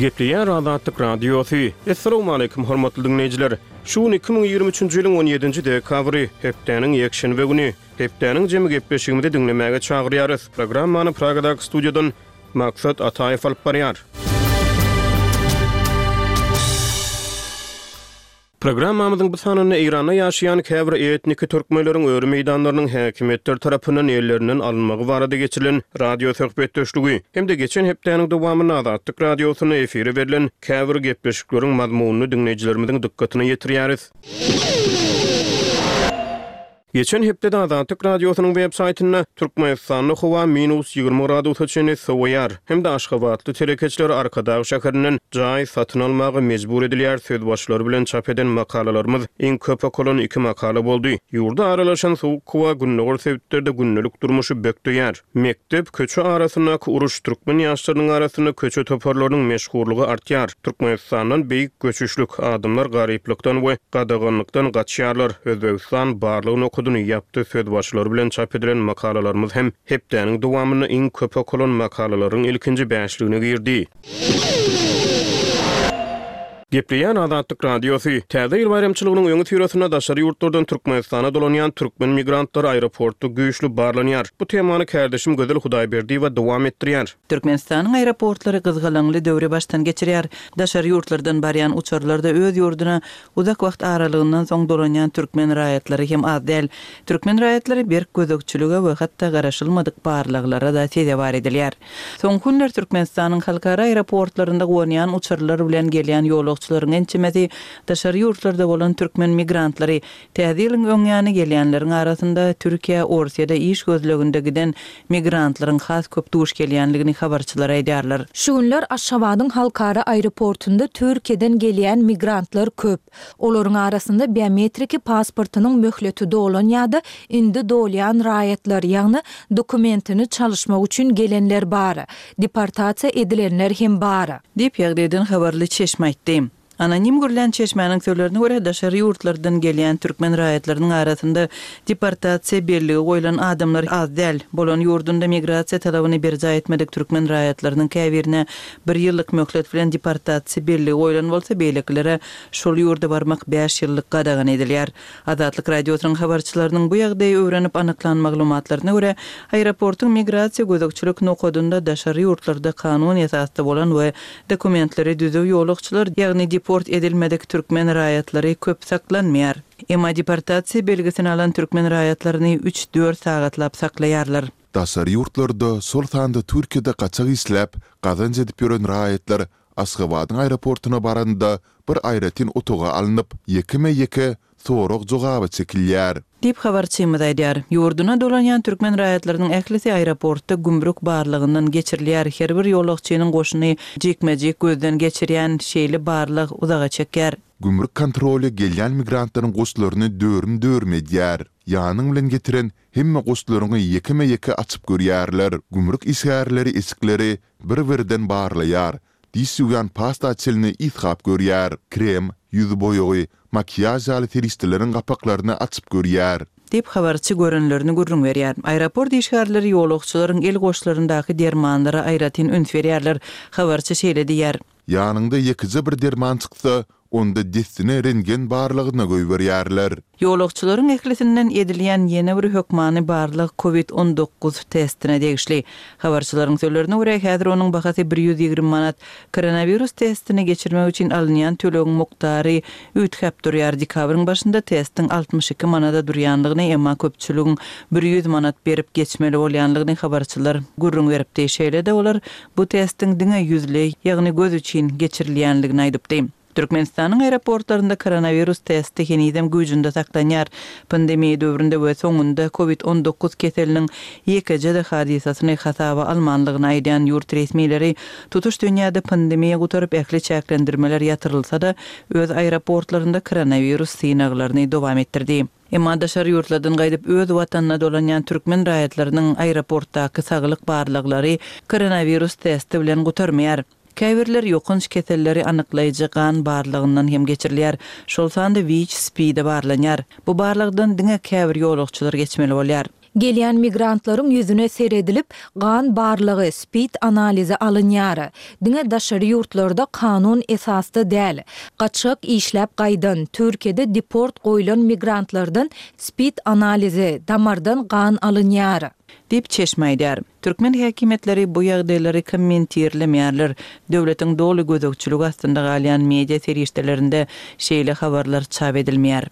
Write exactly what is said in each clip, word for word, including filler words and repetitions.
Gepleýär Azatlyk Radiosy. Essalawmaleýkim, hormatly diňleýjiler! Şu gün iki müň ýigrimi üçünji ýylyň on ýedinji dekabry, hepdäniň ýekşenbe güni. Hepdäniň jemi gepleşigimizi diňlemäge çagyrýarys. Programmany Pragadaky studiýadan Maksat Ataýew alyp barýar. Programmamyzyň bu sanynda Eýranda ýaşaýan käbir etniki türkmenleriň öri meýdanlarynyň häkimiýetler tarapyndan ellerinden alynmagy barada geçirilen radio söhbetdeşligi hem-de geçen hepdäniň dowamynda Azatlyk Radiosynda efire berlen käbir gepleşikleriň mazmunyny diňleýjilerimiziň dykgatyna ýetirýäris. Geçen hepdede Azatlyk Radiosynyň web saýtynda Türkmenistanda howa minus ýigrimi gradusa çenli sowaýar hem-de aşgabatly telekeçiler Arkadag şäherinden jaý satyn almaga mejbur edilýär sözbaşylary bilen çap eden makalalarymyz iň köp okalan iki makala boldy. Ýurda aralaşan sowuk howa gündogar sebitlerde gündelik durmuşy bökdeýär. Mekdep, köçe arasyndaky uruş, türkmen ýaşlarynyň arasynda köçe toparlarynyň meşhurlygy artýar. Türkmenistandan beýik göçüşlik, adamlar garyplykdan we gadaganlykdan gaçýarlar. Özbegistan barlyk nokadyny ýapdy sözbaşylary bilen çap edilen makalalarymyz hem hepdäniň dowamynda iň köp okalan makalalaryň ilkinji bäşligine girdi. Gepleýän Azatlyk Radiosy. Täze ýyl baýramçylygynyň öňüsyrasynda daşary ýurtlardan Türkmenistana dolanýan türkmen migrantlary aeroportda güýçli barlanýar. Bu temany kärdeşim Gözel Hudaýberdiýewa dowam etdirýär. Türkmenistanyň aeroportlary gyzgalaňly döwri başdan geçirýär. Daşary ýurtlardan barýan uçarlarda öz ýurduna uzak wagt aralygyndan soň dolanýan türkmen raýatlary hem az däl. Türkmen raýatlary berk gözegçilige we hatda garaşylmadyk barlaglara-da sezewar edilýär. Soňky günler Türkmenistanyň halkara aeroportlarynda gonýan uçarlar bilen gelýän ýolagçylaryň ençemesi daşary ýurtlarda bolan türkmen migrantlary, täze ýylyň öň ýany gelýänleriň arasynda Türkiýä, Orsýede iş gözleginde giden migrantlaryň has köp duş gelýänligini habarçylar aýdýarlar. Şu günler Aşgabadyň halkara aeroportunda Türkiýeden gelýän migrantlar köp. Olaryň arasynda biometriki pasportynyň möhleti dolan ýa-da indi dolýan raýatlar, ýagny dokumentini çalyşmak üçin gelenler bar. Deportasiýa edilenler hem bar. Diýip, ýagdaýdan habarly çeşme aýtdy. Anonim gürlän çeşmäniň sözlerine görä, daşary ýurtlardan gelýän türkmen raýatlarynyň arasynda deportasiýa belligi goýlan adamlar az däl. Bolan ýurdunda migrasiýa talabyny berjaý etmedik türkmen raýatlarynyň käbirine bir ýyllyk möhlet bilen deportasiýa belligi goýlan bolsa, beýlekilere şol ýurda barmak bäş ýyllyk gadagan edilýär. Azatlyk Radiosynyň habarçylarynyň bu ýagdaýy öwrenip anyklan maglumatlaryna görä, aeroportuň migrasiýa gözegçilik nokadynda daşary ýurtlarda kanun esasda bolan we dokumentleri düzüw ýolagçylar, ýagny deport edilmedik türkmen raýatlary köp saklanmaýar. Emma deportasiýa belgisini alan türkmen raýatlaryny üç-dört sagatlap saklaýarlar. Daşary ýurtlarda, şol sanda Türkiýede gaçak işläp, gazanç edip ýören raýatlar Aşgabadyň aeroportuna baranda bir aýratyn otaga alnyp, ýekeme-ýeke sorag-jogaba çekilýär. Diýip, habarçymyz aýdýar. Ýurduna dolanýan türkmen raýatlarynyň ählisi aeroportda gümrük barlagyndan geçirilýär. Her bir ýolagçynyň goşuny jikme-jik gözden geçirýän şeýle barlag uzaga çekýär. Gümrük kontroly gelýän migrantlaryň goşlaryny dörüm-dörüm edýär. Ýanyň bilen getiren hemme goşlaryňy ýekeme-ýeke açyp görýärler. Gümrük işgärleri eşikleri bir-birden barlaýar, diş ýuwýan pasta çenli ysgap görýär, krem, ýüz boýagy, makiýaž ýaly serişdeleriň gapaklaryny açyp görýär. Diýip, habarçy görenlerini gürrüň berýär. Aeroport işgärleri ýolagçylaryň el goşlaryndaky dermanlara aýratyn üns berýärler. Habarçy şeýle diýýär. Ýanyňda ýekeje bir derman çyksa, onda dessine rentgen barlagyna goýberýärler. Ýolagçylaryň ählisinden edilýän ýene bir hökmany barlag covid on dokuz testine degişli. Habarçylaryň sözlerine görä, häzir onuň bahasy bir ýüz ýigrimi manat. Koronawirus testini geçirmek üçin alynýan tölegiň mukdary üýtgäp durýar. Dekabryň başynda testiň altmyş iki manada durýanlygyny, emma köpçüligiň bir ýüz manat berip geçmeli bolýanlygyny habarçylar gürrüň beripdi. Şeýle-de olar bu testiň diňe ýüzleý, ýagny göz üçin geçirilýänligini aýdypdy. Türkmenistanyň aeroportlarynda koronawirus testi henizem güýjünde saklanýar. Pandemiýa döwründe we soňunda covid on dokuz keseliniň ýekeje-de hadysasyny hasaba almanlygyny aýdýan ýurt resmileri tutuş dünýäde pandemiýa gutaryp ähli çäklendirmeler ýatyrylsa-da, öz aeroportlarynda koronawirus synaglaryny dowam etdirdi. Emma daşary ýurtlardan gaýdyp öz watanyna dolanýan türkmen raýatlarynyň aeroportdaky saglyk barlaglary koronawirus testi bilen gutarmaýar. Käbirler ýokanç keselleri anyklaýjy gan barlagyndan hem geçirilýär. Şol sanda WIÇ-SPID-e barlanýar. Bu barlagdan diňe käbir ýolagçylar geçmeli bolýar. Gelýän migrantlaryň ýüzüne seredilip, gan barlagy, SPID analizi alynýar. Diňe daşary ýurtlarda kanun esasda däl, gaçgak işläp gaýdan, Türkiýede deport goýlan migrantlardan SPID analizi, damardan gan alynýar. Diýip, çeşme aýdýar. Türkmen häkimiýetleri bu ýagdaýlary kommentirlemeýärler. Döwletiň doly gözegçiligi astynda galýan media serişdelerinde şeýle habarlar çap edilmeýär.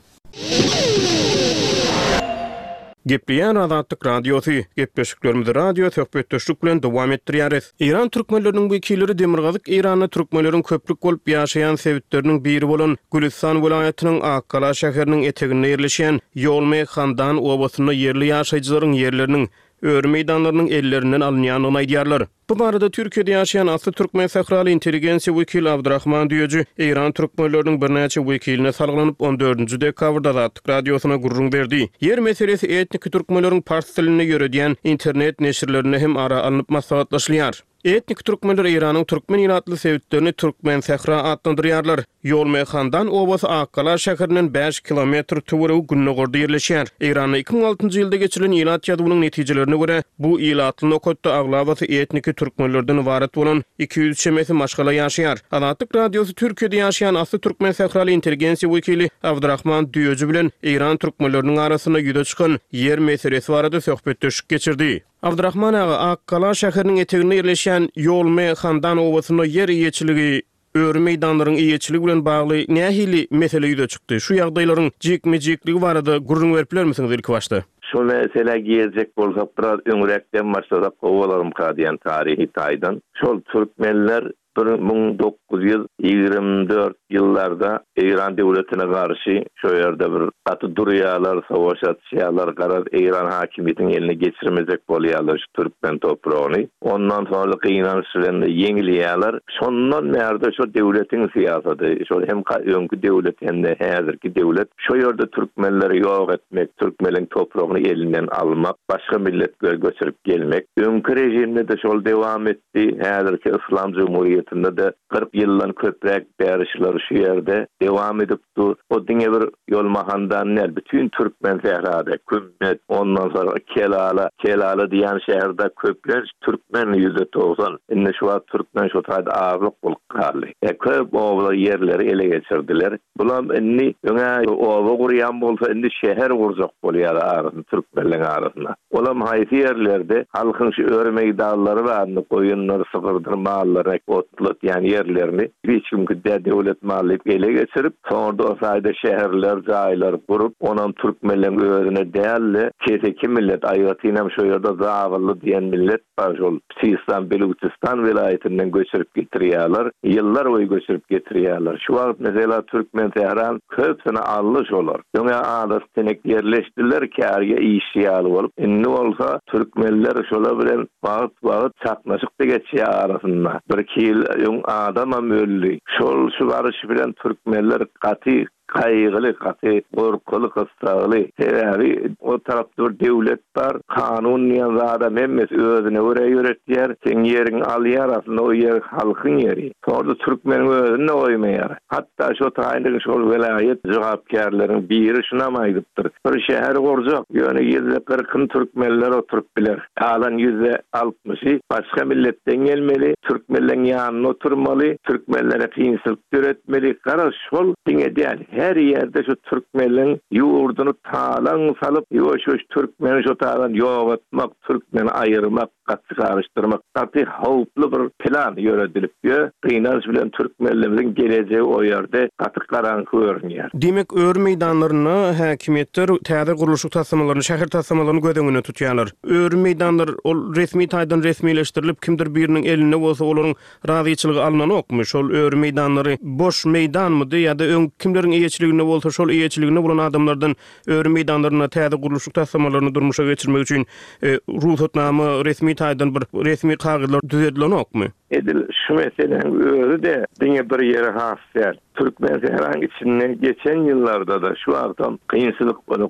Gepleýär Azatlyk Radiosy, Gepleşiklerimizi radio söhbetdeşlik bilen dowam etdirýäris. Eýran türkmenleriniň wekilleri Demirgazyk Eýranda türkmenleriň köplük bolup ýaşaýan sebitleriniň biri bolan Gülüstan welaýatynyň Akgala şäheriniň eteginde ýerleşýän Ýolme Handan obasynda ýerli ýaşaýjylaryň ýerleriniň, öri meýdanlarynyň ellerinden alynýandygyny aýdýarlar. Bu barada Türkiýede ýaşaýan asly türkmen sähraly intelligensiýa wekili Abdyrahman Düýeji eýran türkmenleriniň birnäçe wekiline salgylanyp, on dördünji dekabrda Azatlyk Radiosyna gürrüň berdi. Ýer meselesi etniki türkmenleriň pars dilinde ýöredýän internet neşirlerinde hem ara alnyp maslahatlaşylýar. Etniki türkmenler Eýranyň türkmen ilatly sebitlerini Türkmensähra atlandyrýarlar. Ýolmehandan obasy Akgala şäherinden bäş kilometr töweregi gündogarda ýerleşýär. Eýranda iki müň altynjy ýylda geçirilen ilat ýazuwynyň netijelerine görä, bu ilatly nokatda aglabasy etniki türkmenlerden ybarat bolan iki ýüz çemesi maşgala ýaşaýar. Azatlyk Radiosy Türkiýede ýaşaýan asly türkmen sähraly intelligensiýa wekili Abdyrahman Düýeji bilen eýran türkmenleriniň arasynda ýüze çykan ýer meselesi barada söhbetdeşlik geçirdi. Abdyrahman aga, Akgala şäheriniň eteginde ýerleşýän Ýolme Handan obasynda ýer eýeçiligi, öri meýdanlaryň eýeçiligi bilen bagly nähili mesele ýüze çykdy? Şu ýagdaýlaryň jikme-jikligi barada gürrüň berip bilermisiňiz ilkibaşda? Şu meselä girjek bolsak biraz öňräkden başlasak gowy bolarmyka diýen taryhy taýdan. Şol türkmenler bir müň dokuz ýüz ýigrimi dört ýyllarda Eýran döwletine garşy şo ýerde bir gaty durýarlar, savaş açýarlar, garaz Eýran hakimiýetiniň eline geçirmejek bolýarlar şu türkmen topragyny. Ondan soňra gynanç bilen ýeňilýärler. Şondan bärde şo döwletiň syýasaty, şol hem öňki döwlet hem-de häzirki döwlet şo ýerde türkmenleri ýok etmek, türkmeniň topragyny elinden almak, başga milletleri göçürip gelmek. Öňki režimde-de şol dewam etdi. Häzirki Yslam Jumhuriýetinde-de kyrk ýyldan köpräk bäri şular şu ýerde dewam edip dur. O diňe bir Ýolmahandan däl, bütin türkmen sährada, Kümmet, ondan soň Kelala, Kelala diýen şäherde köplenç türkmen ýüzde togsan. Indi şu wagt türkmen şu taýda azlyk bolup galdy. E, köp obalar ýerleri ele geçirdiler. Bulam indi öňe oba gurýan bolsa indi şäher gurjak bolýar arasynda, türkmenleň arasynda. Olam haýsy ýerlerde halkyň şu öri meýdanlary barny, goýunlar, sygyrdyr, mallary otlatýan ýerlerini hiç kim küdä döwlet maly diýip ele geçirip, soňra o taýda şäherler, jaýlar gurup, onam türkmenleň özüne däl-de, keseki millet, aýratynam şu ýerde Zabylly diýen millet bar, şol Sistan, Beluçistan welaýatyndan göçürip getirýärler, ýyllar boýy göçürip getirýärler. Şu wagt mesela Türkmensähran köpüsini aldy şolar. Öňe adaty tenek ýerleşdiler, kärge işçi ýaly bolup. Indi bolsa türkmenler şolar bilen wagt-wagt çaknyşyk-da geçýär arasynda. Bir-iki ýyl öň adamam öldi. Şol şu baryş bilen türkmenler gaty gaýgyly, gaty gorkuly, gyssagly. Sebäbi o tarapda bir döwlet bar, kanun diýen zadam hemmesi özüne görä ýöretýär. Seň ýeriňi alýar, aslynda o ýer halkyň ýeri. Soňra türkmeniň özüni-de goýmaýar. Hatda şo taýynda şol welaýat jogapkärleriň biri şunam aýdypdyr. Bir şäher gurjak, ýöne ýüzde kyrkyny türkmenler oturyp biler. Galan ýüzde altmyşy başga milletden gelmeli, türkmenleň ýanynda oturmaly, türkmenlere kynçylyk döretmeli. Garaz şol diňe däl, her ýerde şu türkmenleň ýurduny talaň salyp, ýuwaş-ýuwaş türkmeni şo taýdan ýok etmek, türkmeni aýyrmak, gaty garyşdyrmak gaty howply bir plan ýöredilip ýör. Gynanç bilen türkmenlerimiziň gelejegi o ýerde gaty garaňky görünýär. Diýmek, öri meýdanlarynda häkimiýetler täze gurluşyk taslamalaryny, şäher taslamalaryny göz öňünde tutýarlar. Öri meýdanlar ol resmi taýdan resmileşdirilip, kimdir biriniň elinde bolsa olaryň razyçylygy alnanokmy? Şol öri meýdanlary boş meýdanmydy ýa-da öň kimleriň eýeçiliginde bolsa şol eýeçiliginde bolan adamlardan öri meýdanlarynda täze gurluşyk taslamalaryny durmuşa geçirmek üçin, e, rugsatnama resmi taýdan bir resmi kagyzlar düzedilenokmy? Edil şu meseläň özi-de diňe bir ýere has däl. Türkmensähraň içinde geçen ýyllarda-da şu wagtam kynçylyk uly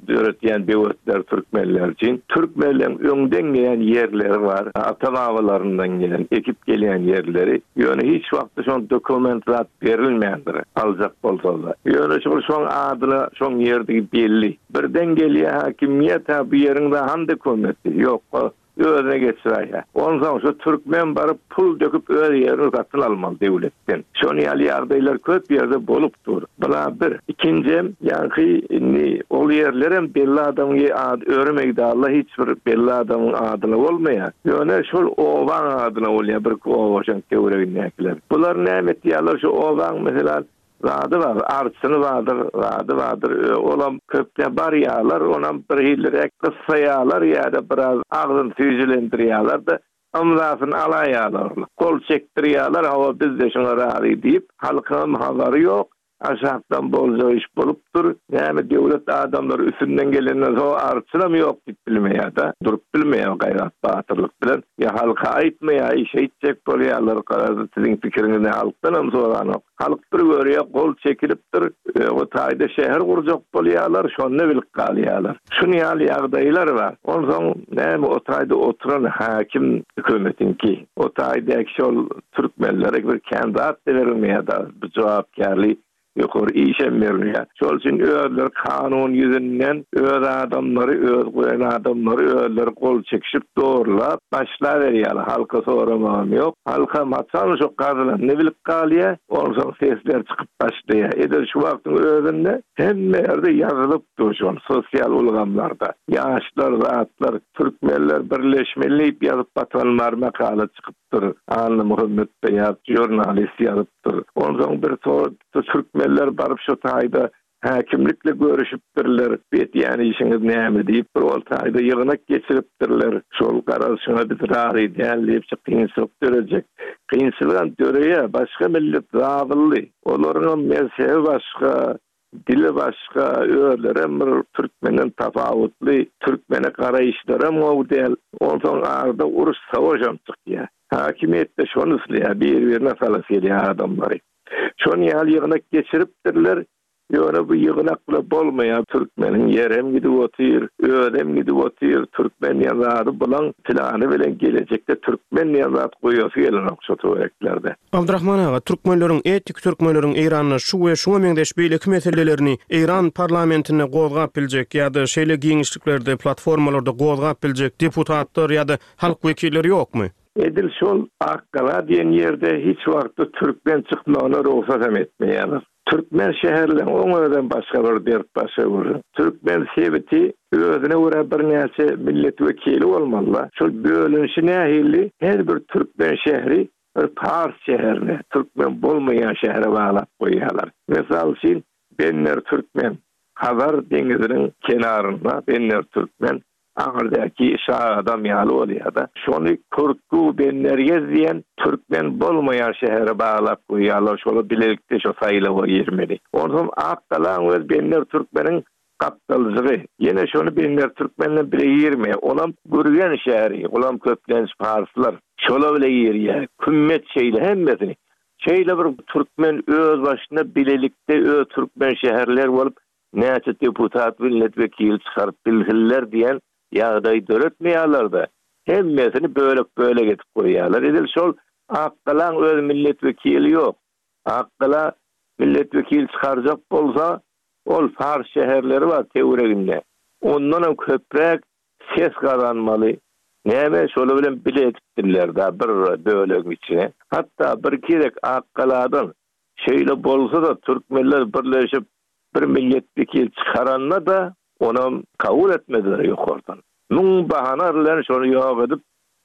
döretýän böwetler türkmenler üçin. Türkmenleň öňden gelen ýerleri bar, ata-babalaryndan gelen, ekip gelýän ýerleri. Ýöne hiç wagtda şoň dokument zat berilmändir, aljak bolsalar. Ýöne şol şoň adyna şoň ýerdigi belli. Birden gelýär hakimiýet, ha bu ýeriň han dokumenti ýok. Özüne geçirýär. Onsoň şu türkmen baryp pul döküp öz ýerini satyn almaly döwletden. Şony ýaly ýagdaýlar köp ýerde bolup dur. Bula bir. Ikinji, ýaňky indi ol ýerlerem belli adamyň ady öri meýdanla hiç bir belli adamyň adyna bolmaýar. Ýöne şol obaň adyna bolýar bir oba şoň töweregindäkiler. Bular näme etýärler? Şu obaň mesela zady bar, arçyny bardyr, zady bardyr. Olam köpde barýarlar, onam bir hillirek gyssaýarlar ýa-da biraz agzyn süýjülendirýärler-de, ymzasyny alaýarlar. Gol çekdirýärler, hawa biz de şoňa razy diýip, halkyň habary ýok. Aşakdan bolja iş bolupdyr. Näme döwlet adamlary üstünden gelenden soň arçynam ýok diýip bilmeýär-de, durup bilmeýär gaýrat batyrlyk bilen. Ýa halka aýtmaýar, iş etjek bolýarlar, garaz siziň pikiriňizi halkdan hem soranok. Halk bir görýär, gol çekilipdir, o taýda şäher gurjak bolýarlar, şonda bilip galýarlar. Şuny ýaly ýagdaýlar bar. Onsoň näme o taýda oturan hakim hökümetiňki, o taýda şol türkmenlere bir kandidat berilmeýär da, bu jogapkärli ýokary işem berilýär. Şol üçin özleri kanun ýüzünden öz adamlary, öz goýan adamlary özleri gol çekişip doğrulap başla berýärler. Halka soramagam ýok. Halka haçan şo gazylan ne bilip galýar, onsoň sesler çykyp başlaýar. Edil şu wagtyň özünde hemme ýerde ýazylyp dur şol sosial ulgamlarda. Ýaşlar, zatlar, türkmenler birleşmeli diýip ýazyp batanlar makala çykypdyr. Anna Muhammed Beýat jurnalist ýazypdyr. Onsoň bir tor türkmenler baryp şu taýda hakimlikle görüşüpdirler. Betýän işiňiz näme diýip bir ol taýda ýygnak geçiripdirler. Şol garaz şuna biz razy däl diýip kynçylyk dörejek. Kynçylygam döreýär. Başga millet zabylly. Olaryň mezhebi başga, dili başga, özlerem bir türkmenden tapawutly, türkmene garaýyşlaram gowy däl. Onsoň arada uruş savaşam çykýar. Hakimiýetde şony isleýär, bir-birine salas gelýär adamlary. Şony ýaly ýygnak geçiripdirler. Ýöne bu ýygnakla bolmaýar. Türkmeniň ýerem gidip otyr, özem gidip otyr. Türkmen diýen zady bulan plany bilen gelejekde türkmen diýen zat goýasy gelenok şu töwereklerde. Abdurrahman aga, türkmenleriň etnik türkmenleriň Eýranda şu we şuňa meňzeş beýleki meselelerini Eýran parlamentinde gozgap biljek ýa-da şeýle giňişliklerde, platformalarda gozgap biljek deputatlar ýa-da halk wekilleri ýokmy? Edil şol Akgala diýen ýerde hiç wagtda türkmen çykmagyna rugsat hem etmeýärler. Türkmen şäherleriniň oň özem başga bir dert başga bir. Türkmen sebiti özüne görä birnäçe millet wekili bolmaly. Şol bölünişi nähili her bir türkmen şäheri bir pars şäherine, türkmen bolmaýan şähere baglap goýýarlar. Mysal üçin Benner Türkmen, Hazar deňiziniň kenarynda Benner Türkmen aňyrdaki şa adam ýaly bolýar-da. Şony Kurtgu Bennergez diýen türkmen bolmaýan şähere baglap goýýarlar. Şola bilelikde şo saýlawa girmeli. Onsoň Akgalaň öz Benner Türkmeniň gapdalyjygy. Ýene şony Benner Türkmenle bile girmeýär. Olam Gürgen şäheri, olam köplenç parslar. Şola bile girýär. Kümmet şeýle hemmesini. Şeýle bir türkmen öz başyna bilelikde öz türkmen şäherler bolup näçe deputat milletvekili çykaryp bilsinler diýen ýagdaý döretmeýärler-de. Hemmesini bölek-bölek edip goýýarlar. Edil şol Akgalaň öz milletvekili ýok. Akgala milletvekili çykarjak bolsa, ol pars şäherleri bar töwereginde. Ondan hem köpräk ses gazanmaly. Näme şoly bilen bile edipdirler da bir bölegiň içine. Hatta bir kerek Akgaladan şeýle bolsa da türkmenler birleşip bir milletvekili çykaranda da onam kabul etmediler ýokardan. Müň bahana bilen şony ýok edip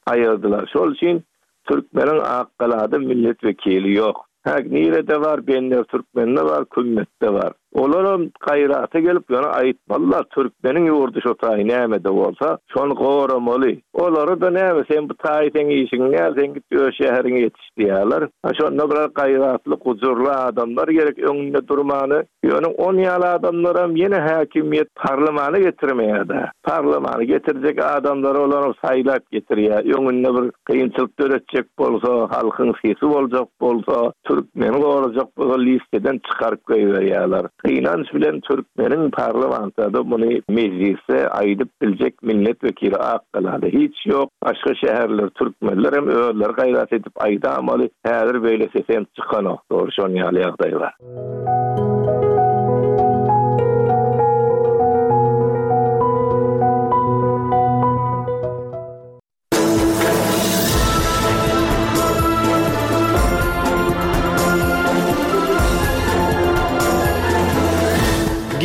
aýyrdylar. Şol üçin Türkmeniň Akgalada milletvekili ýok. Ha nirede var? Benner Türkmen'de var, Kümmet'te var. Olaram gaýrata gelip ýöne aýtmalylar türkmeniň ýurdy şo taý nämede bolsa, şony goramaly. Olary-da näme sen bu taý seň işiň näl, sen git öz şäheriňe ýetiş diýýärler. Ha şonda biraz gaýratly, gujurly adamlar gerek öňünde durmany. Ýöne on ýaly adamlaram ýene häkimiýet parlamana getirmeýär-de. Parlamana getirjek adamlary olaram saýlap getirýär. Öňünde bir kynçylyk döretjek bolsa, halkyň sesi boljak bolsa, türkmeni gorajak bolsa listeden çykaryp goýberýärler. Gynanç bilen türkmeniň parlamentde muny mejlisde aýdyp biljek milletvekili Akgalada hiç ýok. Başga şäherler türkmenler hem özleri gaýrat edip aýdamaly. Häzir beýle sesem çykanok. Dogry şon ýaly ýagdaý bar.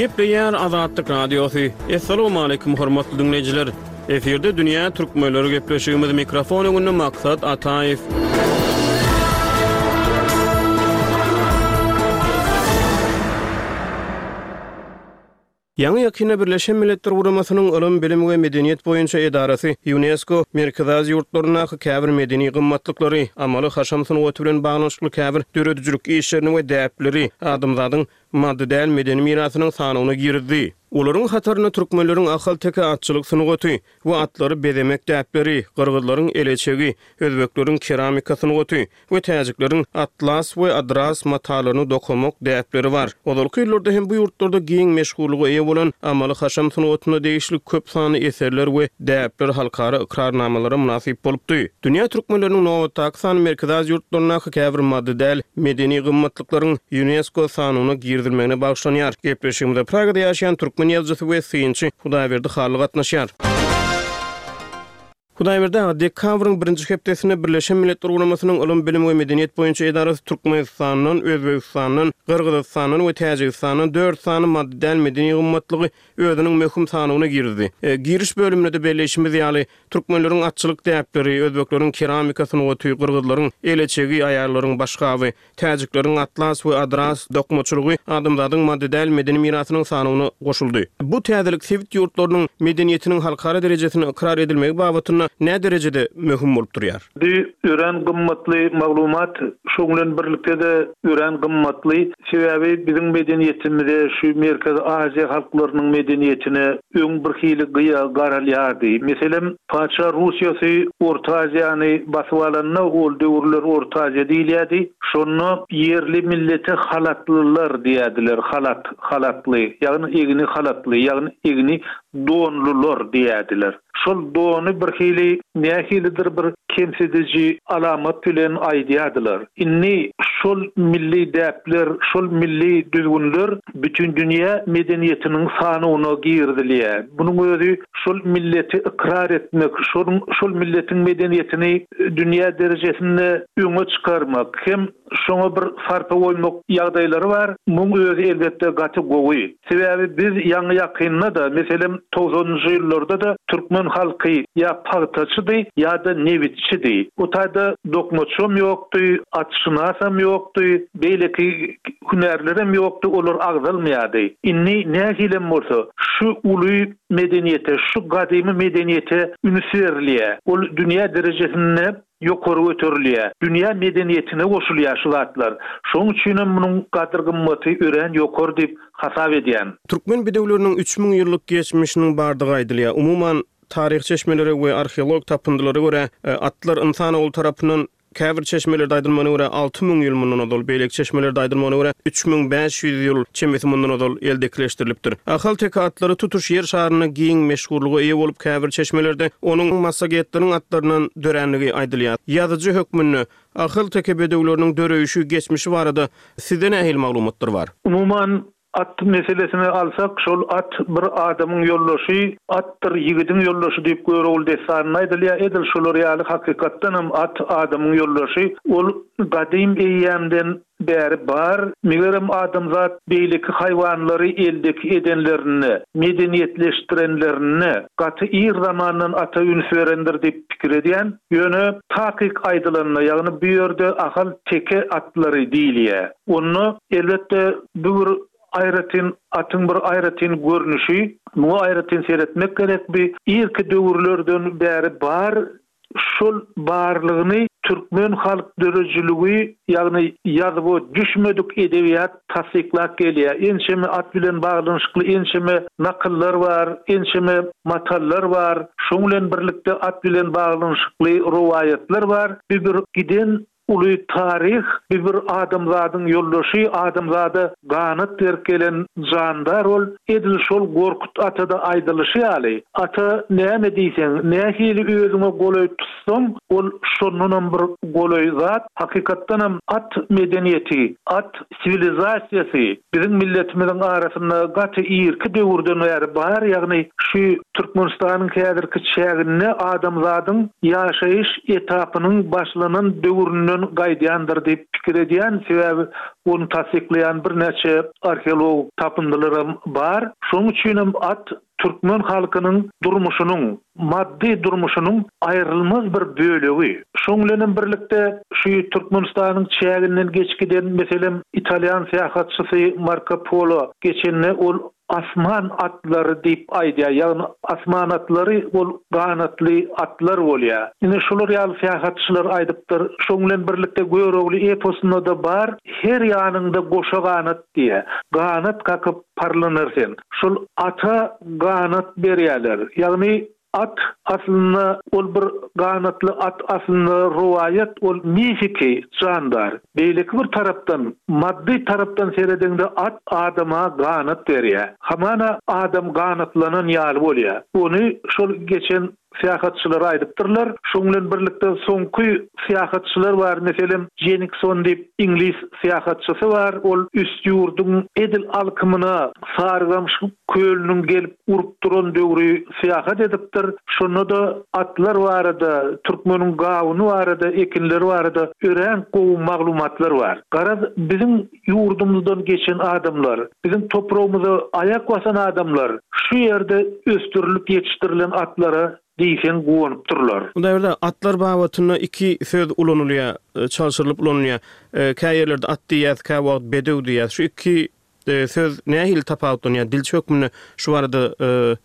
Gepleýär Azatlyk Radiosy. Assalamualaikum hormatly dinleýjiler. Efirde Dünýä Türkmenleri gepleşigimiz mikrofon öňünde Maksat Ataýew. Ýaňy ýakynda Birleşen Milletler Guramasynyň Ylym, Bilim we Medeniýet boýunça edarasy UNESCO Merkezi Aziýa ýurtlaryndaky käbir medeni gymmatlyklary, amaly haşam sungaty bilen baglanyşykly käbir döredijilik işlerini we däpleri adamzadyň maddy däl medeni mirasynyň sanawyna girizdi. Olaryň hatarynda türkmenleriň Ahalteke atçylyk sungaty we atlary bezemek däpleri, gyrgyzlaryň eleçegi, özbekleriň keramika sungaty we täjikleriň atlas we adras matalaryny dokamak däpleri bar. Ozalky ýyllarda hem bu ýurtlarda giň meşhurlyga eýe bolan amaly haşam sungatyna degişli köp sanly eserler we däpler halkara ykrarnamalara mynasyp bolupdy. Dünýä türkmenleriniň nobatdaky sany Merkezi Aziýa ýurtlaryndaky käbir maddy däl medeni gymmatlyklaryň UNESCO sanyna girizilmegine bagyşlanýar. Gepleşigimizde Pragada ýaşaýan türkmen ýazyjysy we synçy Hudaýberdi Hally gatnaşýar. Hudaýberdi aga, dekabryň birinji hepdesinde Birleşen Milletler Guramasynyň Ylym, Bilim we Medeniýet boýunça edarasy Türkmenistandan, Özbegistandan, Gyrgyzystandan we Täjigistandan dört sany maddy däl medeni gymmatlygy özüniň möhüm sanawyna girizdi. E, giriş bölüminde de belleýşimiz ýaly, türkmenleriň atçylyk däpleri, özbekleriň keramika sungaty, gyrgyzlaryň eleçegi, aýallaryň başgaby, täjikleriň atlas we adras dokmaçylygy adamzadyň maddy däl medeni mirasynyň sanawyna goşuldy. Bu täzelik sebit ýurtlarynyň medeniýetiniň halkara derejesine ykrar edilmegi babatynda nä derejede möhüm bolup durýar? Bu örän gymmatly maglumat, şoň bilen birlikde-de örän gymmatly. Sebäbi biziň medeniýetimize, şu Merkezi Aziýa halklarynyň medeniýetine öň bir hili gyýa garalýardy. Meselem, Patyşa Russiýasy Orta Aziýany basyp alanda, ol döwürler Orta Aziýa diýilýärdi. Şonda ýerli millete halatlylar diýerdiler, halat, halatly, ýagny egni halatly, ýagny egni donlular diýerdiler. Şol dony bir hili nähilidir bir kemsidiji alamat bilen aýdýardylar. Indi şol milli däpler, şol milli düzgünler bütün dünýä medeniýetiniň sanyna girizilýär. Bunuň özi şol milleti ykrar etmek, şol, şol milletiň medeniýetini dünýä derejesinde öňe çykarmak, hem şoňa bir sarpa goýmak ýagdaýlary bar. Muň özi elbetde gaty gowy. Sebäbi biz ýaňy ýakynda da, meselem togsanynjy ýyllarda da türkmen halky ýa pagtaçydy ýa-da nebitçidi. O taýda dokmaçam ýokdy, atşynasam ýokdy, beýleki hünärlerem ýokdy, olar agzalmaýardy. Indi nähilem bolsa şu uly medeniýete, şu gadymy medeniýete üns berilýär. Ol dünýä derejesinde ýokary göterilýär. Dünýä medeniýetine goşulýar şu zatlar. Şonuň üçin hem munuň gadyr gymmaty örän ýokary diýip hasap edýän. Türkmen bedewleriniň üç müň ýyllyk geçmişiniň bardygy aýdylýar. Umuman taryh çeşmeleri we arheolog tapyndylara görä, e, atlar insanoğlu tarapyndan käbir çeşmelerde aýdylmagyna görä alty müň ýyl mundan ozal, beýleki çeşmelerde aýdylmagyna görä üç müň bäş ýüz ýyl çemesi mundan ozal eldekileşdirilipdir. Ahalteke atlary tutuş ýer şarynda giň meşhurlyga eýe bolup, käbir çeşmelerde onuň massagetleriň atlaryndan döränligi aýdylýar. Ýazyjy hökmünde Ahalteke bedewleriniň döreýşi, geçmişi barada sizde nähili maglumatlar bar? Umuman at meselesini alsak, şol at bir adamyň ýoldaşy, atdyr ýigidiň ýoldaşy diýip Görogly dessanynda aýdylýar. Edil şolar ýaly hakykatdan hem at adamyň ýoldaşy. Ol gadym eýýämden bäri bar. Megerem adamzat beýleki haýwanlary eldeki edenlerinde, medeniýetleşdirenlerinde gaty ir zamandan ata üns berendir diýip pikir edýän. Ýöne takyk aýdylanda, ýagny bu ýerde Ahal teke atlary diýilýär. Onda elbetde bu bir aýratyn atyň bir aýratyn görnüşi, muňa aýratyn seretmek gerek. Bi irki döwürlerden bäri bar. Şol barlygyny türkmen halk döredijiligi, ýagny ýazuwa düşmedik edebiýat tassyklap gelýär. Ençeme at bilen baglanyşykly ençeme nakyllar bar, ençeme matallar bar. Şoň bilen birlikde at bilen baglanyşykly rowaýatlar bar. Bu bir giden uly taryh, bu bir adamzadyň ýoldaşy, adamzada ganat berip gelen jandar ol. Edil şol Gorkut atada aýdylyşy ýaly, ata näme diýseň, nähili özüňe golaý tutsaň, ol şondanam bir golaý zat. Hakykatdanam at medeniýeti, at siwilizasiýasy biziň milletimiziň arasynda gaty irki döwürden bäri bar, ýagny şu Türkmenistanyň häzirki çäginde adamzadyň ýaşaýyş etapynyň başlanan döwründen gaýdýandyr diýip pikir edýän, sebäbi ony tassyklaýan birnäçe arheologik tapyndylaram bar. Şonuň üçinem at türkmen halkynyň durmuşynyň, maddy durmuşynyň aýrylmaz bir bölegi. Şoň bilenem birlikde şu Türkmenistanyň çäginden geçip giden, meselem, italýan syýahatçysy Marko Polo geçende ol asman atlary diýip aýdýar, ýagny asman atlary ol ganatly atlar bolýar. Ine şolar ýaly syýahatçylar aýdypdyr. Şoň bilen birlikde Görogly eposynda-da bar, her ýanyňda goşa ganat diýýär. Ganat kakyp parlanar sen. Şol ata ganat berýärler. Ýagny at aslynda ol bir ganatly at aslynda rowaýat, ol mifiki jandar. Beýleki bir tarapdan, maddy tarapdan seredeňde at adama ganat berýär. Hamana adam ganatlanan ýaly bolýar. Ony şol geçen syýahatçylar aýdypdyrlar. Şoň bilen birlikde soňky syýahatçylar bar, meselem, Jenikson diýip iňlis syýahatçysy bar. Ol üst ýurduň edil alkymyna Sarygamyş kölüniň gelip urup duran döwri syýahat edipdir. Şonda-da atlar barada, türkmeniň gawuny barada, ekinleri barada örän gowy maglumatlar bar. Garaz, biziň ýurdumyzdan geçen adamlar, biziň topragymyza aýak basan adamlar şu ýerde ösdürilip ýetişdirilen atlara diýseň guwanypdyrlar. Hudaýberdi, atlar babatynda iki söz ulanylýar, çalşyrylyp ulanylýar. Kä ýerlerde at diýýäs, kä wagt bedew diýýäs. Şu iki söz nähili tapawutlanýar? Dilçi hökmünde şu barada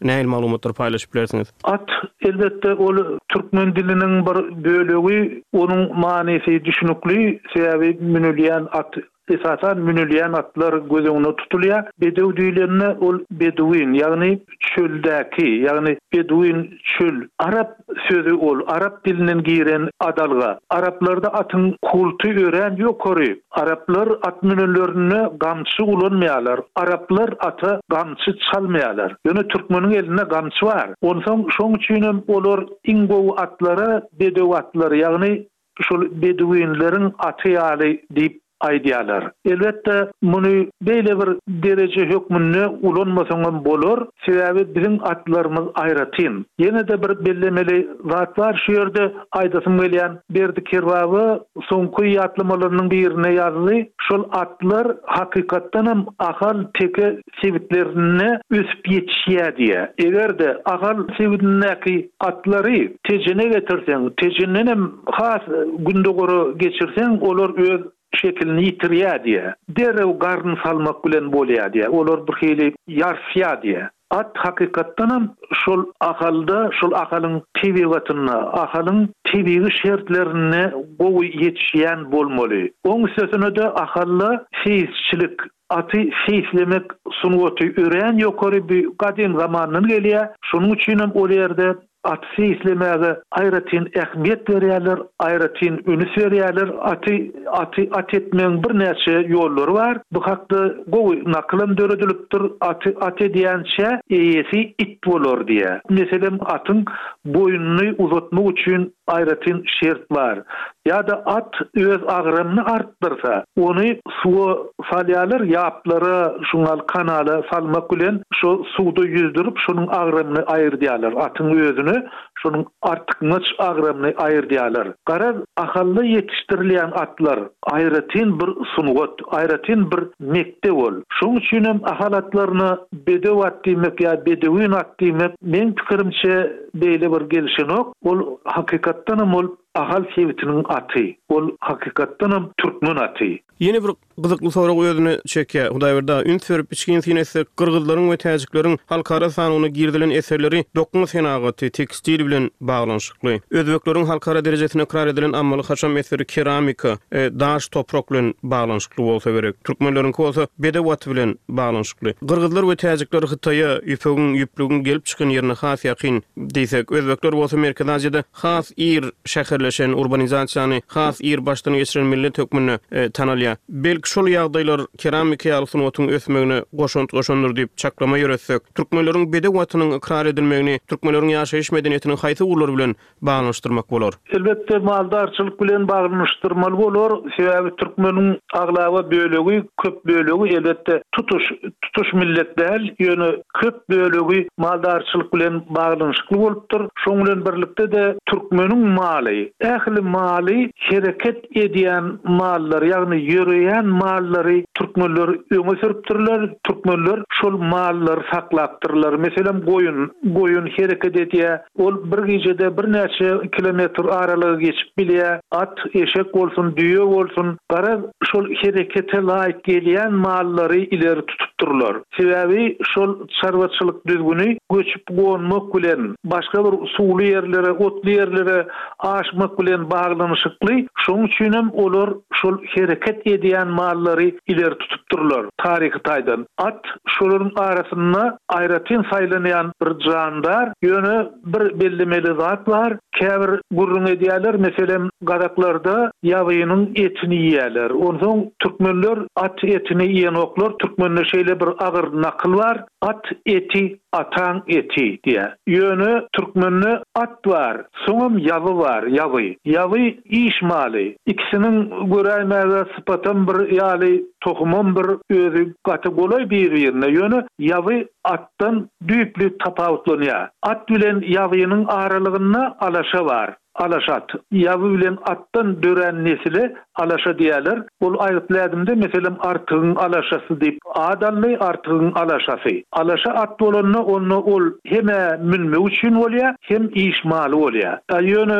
nähili maglumatlary paýlaşyp bilersiňiz? At, elbetde, ol türkmen diliniň bir bölegi, onuň manysy düşünikli, sebäbi münülýän at, esasan münülýän atlar göz öňüne tutulýar. Bedew diýlende ol beduin, ýagny çöldäki, ýagny beduin çöl. Arap sözi ol, arap dilinden giren adalga. Araplarda atyň kulty örän ýokary. Araplar at münenlerinde gamçy ulanmaýarlar. Araplar ata gamçy çalmaýarlar. Ýöne türkmeniň elinde gamçy bar. Onsoň şoň üçinem olar iň gowy atlara bedew atlary, ýagny şol beduinleriň aty ýaly diýip aýdýarlar. Elbetde, muny beýle bir dereje hökmünde ulanmasaňam bolar, sebäbi biziň atlarymyz aýratyn. Ýene-de bir bellemeli zat bar, şu ýerde aýdasym gelýän, Berdi Kerbaba soňky ýatlamalarynyň birinde ýazdy, şol atlar hakykatdanam Ahal teke sebitlerinde ösüp ýetişýär diýýär. Eger-de Ahal sebitindäki atlary Tejene getirseň, Tejendenem has gündogara geçirseň, olar öz şekilini ýitirýär diýýär. Derrew garyn salmak bilen bolýar diýýär. Olar bir hili ýarsýar diýýär. At hakykatdanam şol Ahalda, şol Ahalyň tebigatynda, Ahalyň tebigy şertlerinde gowy ýetişýän bolmaly. Oň üstesine-de Ahalda seýisçilik, aty seýislemek sungaty örän ýokary, bu gadym zamandan gelýär. Şonuň üçinem ol ýerde aty seýislemäge aýratyn ähmiýet berýärler, aýratyn üns berýärler. Aty, aty at etmegiň birnäçe ýollary bar. Bu hakda gowy nakylam döredilipdir. Aty at edýänçä eýesi it bolar diýýär. Meselem, atyň boýnuny uzatmak üçin aýratyn şert bar. Ýa-da at öz agramyny artdyrsa, ony suwa salýarlar, ýaplara, şuňal kanala salmak bilen şo suwda ýüzdürip, şonuň agramyny aýyrdýarlar. Atyň özüne şonuň artykmaç agramyny aýyrdýarlar. Garaz, Ahalda ýetişdirilýän atlar aýratyn bir sungat, aýratyn bir mekdep ol. Şonuň üçinem Ahal atlaryna bedew at diýmek ýa bedewin at diýmek, meň pikirimçe, beýle bir gelşenok. Ol hakykatdanam ol Ahal sebitiniň aty. Ol hakykatdanam türkmen aty. Ýene bir gyzykly sorag özüne çekýär. Hudaýberdi aga, üns berip içgin syn etsek, gyrgyzlaryň we täjikleriň halkara sanawyna girizilen eserleri dokma senagaty, tekstil bilen baglanyşykly. Özbekleriň halkara derejesinde ykrar edilen amaly-haşam eseri keramika, daş, toprak bilen baglanyşykly bolsa gerek. Türkmenleriňki bolsa bedew aty bilen baglanyşykly. Gyrgyzlar we täjikler Hytaýa, ýüpegiň, ýüplügiň gelip çykan ýerine has ýakyn diýsek, özbekler bolsa Merkezi Aziýada has ir şäherleşen, urbanizasiýany has ir başdan geçiren millet hökmünde tanalýar. Belki şol ýagdaýlar keramika ýaly sungatyň ösmegine goşant goşandyr diýip çaklama ýöretsek, türkmenleriň bedew atynyň ykrar edilmegini türkmenleriň ýaşaýyş medeniýetiniň haýsy ugurlary bilen baglanyşdyrmak bolar? Elbetde, maldarçylyk bilen baglanyşdyrmaly bolar, sebäbi türkmeniň aglaba bölegi, köp bölegi, elbetde, tutuş, tutuş millet däl, ýöne köp bölegi maldarçylyk bilen baglanyşykly bolupdyr. Şonuň bilen birlikde-de türkmeniň maly, ähli maly hereket edýän mallar, ýagny ýöreýän mallary türkmenler öňe sürüpdirler, türkmenler şol mallary saklapdyrlar. Meselem, goýun, goýun hereket edýär, ol bir gijede birnäçe kilometr aralygy geçip bilýär, at, eşek bolsun, düýe bolsun, garaz, şol herekete laýyk gelýän mallary ileri tutupdyrlar. Sebäbi şol çarwaçylyk düzgüni göçüp-gonmak bilen, başga bir suwly ýerlere, otly ýerlere aşmak bilen baglanyşykly, şonuň üçinem olar şol hereket edýän mallary ileri tutupdyrlar taryhy taýdan. At şolaryň arasynda aýratyn saýlanýan bir jandar, ýöne bir bellemeli zat bar, käbir gürrüň edýärler, meselem, gazaklarda ýabynyň etini iýýärler. Onsoň türkmenler at etini iýenoklar, türkmende şeýle bir agyr nakyl bar, At eti ataň eti diýýär. Ýöne türkmende at bar, soňam ýaby bar, ýaby. Ýaby iş maly. Ikisiniň göräýmäge sypatam bir ýaly, tohumam bir, özi gaty golaý bir-birine. Ýöne ýaby atdan düýpli tapawutlanýar. At bilen ýabynyň aralygynda alaşa bar. Alaşa at. Ýaby bilen atdan dörän nesile alaşa diýerler. Ol aýgytly ädimde, meselem, Artygyň alaşasy diýip at aldy, Artygyň alaşasy. Alaşa at bolanda, onda ol hem-ä münmek üçin bolýar, hem iş maly bolýar. A ýöne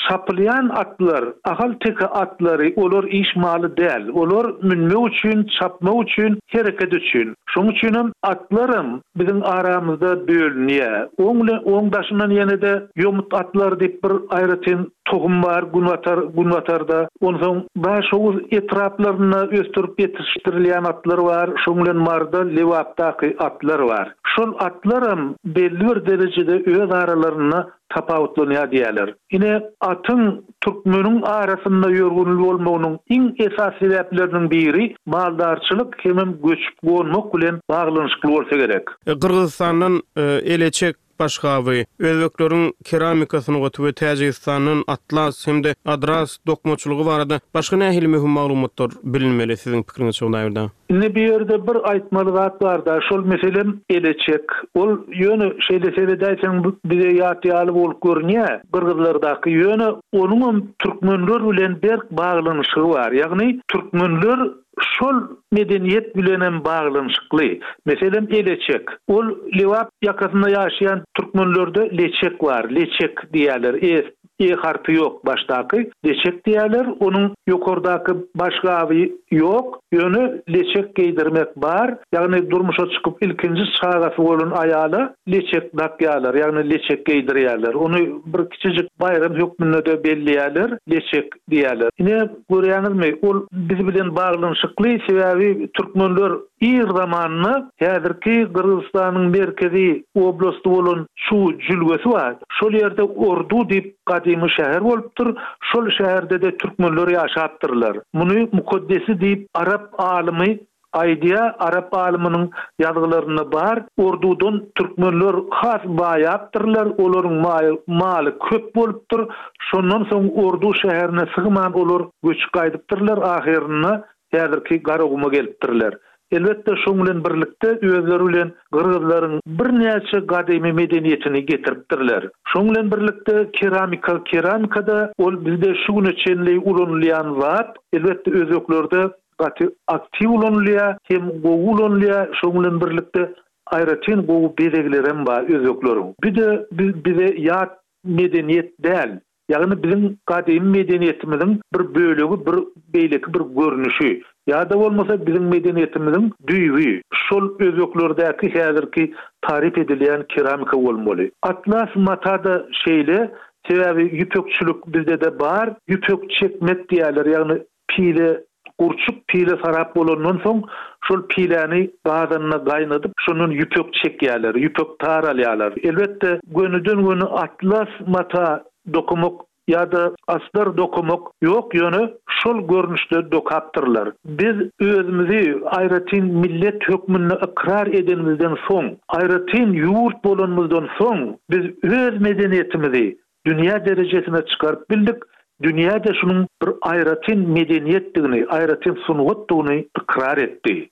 çapylýan atlar, ahal-teke atlary, olar iş maly däl. Olar münmek üçin, çapmak üçin, hereket üçin. Şonuň üçinem atlaram biziň aramyzda bölünýär. Oň bilen, oň daşyndan ýene-de ýomut atlary diýip bir aýratyn tohum bar günbatar, günbatarda. Onsoň Daşoguz etraplarynda ösdürip ýetişdirilýän atlar bar, şoň bilen Maryda, Lebapdaky atlar bar. Şol atlaram belli bir derejede öz aralarynda tapawutlanýar diýýärler. Ine, atyň türkmeniň arasynda ýörgünli bolmagynyň iň esasy sebäpleriniň biri maldarçylyk hemem göçüp-gonmak bilen baglanyşykly bolsa gerek. Gyrgyzystandan eleçek başgaby, özbekleriň keramika sungaty we Täjigistandan atlas hem-de adras dokmaçylygy barada başga nähili möhüm maglumatlar bilinmeli siziň pikiriňizçe Hudaýberdi aga? Indi bu ýerde bir aýtmaly zat bar-da, şol meselem eleçek. Ol ýöne şeýle seredäýseň bize ýat ýaly bolup görünýär gyrgyzlardaky, ýöne onuňam türkmenler bilen berk baglanyşygy bar. Ýagny türkmenler şol medeniýet bilenem baglanyşykly. Meselem eleçek. Ol Lebap ýakasynda ýaşaýan türkmenlerde leçek bar, leçek diýýärler, e E harpy ýok başdaky, leçek diýýärler, onuň ýokardaky baş gaby ýok, ýöne leçek geýdirmek bar, ýagny durmuşa çykyp ilkinji çagasy bolan aýala leçek dakýarlar, ýagny leçek geýdirýärler. Ony bir kiçijik baýram hökmünde-de belleýärler, leçek diýýärler. Ine, görýäňizmi, ol biz bilen baglanyşykly, sebäbi türkmenler ir zamanda häzirki Gyrgyzystanyň merkezi oblasty bolan Çu jülgesi bar, şol ýerde Ordu diýip gadymy şäher bolupdyr, şol şäherde-de türkmenler ýaşapdyrlar. Muny Mukaddesi diýip arap alymy aýdýar, arap alymynyň ýazgylarynda bar, Ordudan türkmenler has baýapdyrlar, olaryň maly köp bolupdyr, şondan soň Ordu şäherine sygman olar göçüp gaýdypdyrlar, ahyrynda häzirki Garaguma gelipdirler. Elbetde, şoň bilen birlikde özleri bilen gyrgyzlaryň birnäçe gadymy medeniýetini getiripdirler. Şoň bilen birlikde keramika, keramika-da ol bizde şu güne çenli ulanylýan zat, elbetde özbeklerde gaty aktiw ulanylýar, hem gowy ulanylýar, şoň bilen birlikde aýratyn gowy bezeglerem bar özbekleriň. Bir-de bize ýat medeniýet däl. Ýagny biziň gadymy medeniýetimiziň bir bölegi, bir beýleki bir görnüşi. Ýa-da bolmasa biziň medeniýetimiziň düýbi şol özbeklerdäki häzirki taryp edilýän keramika bolmaly. Atlas mata-da şeýle, sebäbi ýüpekçilik bizde-de bar. Ýüpek çekmek diýýärler, ýagny pile, gurçuk pile sarap bolandan soň, şol piläni gazanda gaýnadyp, şondan ýüpek çekýärler, ýüpek tar alýarlar. Elbetde, gönüden-göni atlas mata dokamak ýa-da astar dokamak ýok, ýöne şol görnüşde dokapdyrlar. Biz özümizi aýratyn millet hökmünde ykrar edenimizden soň, aýratyn ýurt bolanymyzdan soň, biz öz medeniýetimizi dünýä derejesine çykaryp bildik, dünýä-de şunuň bir aýratyn medeniýetdigini, aýratyn sungatdygyny ykrar etdi.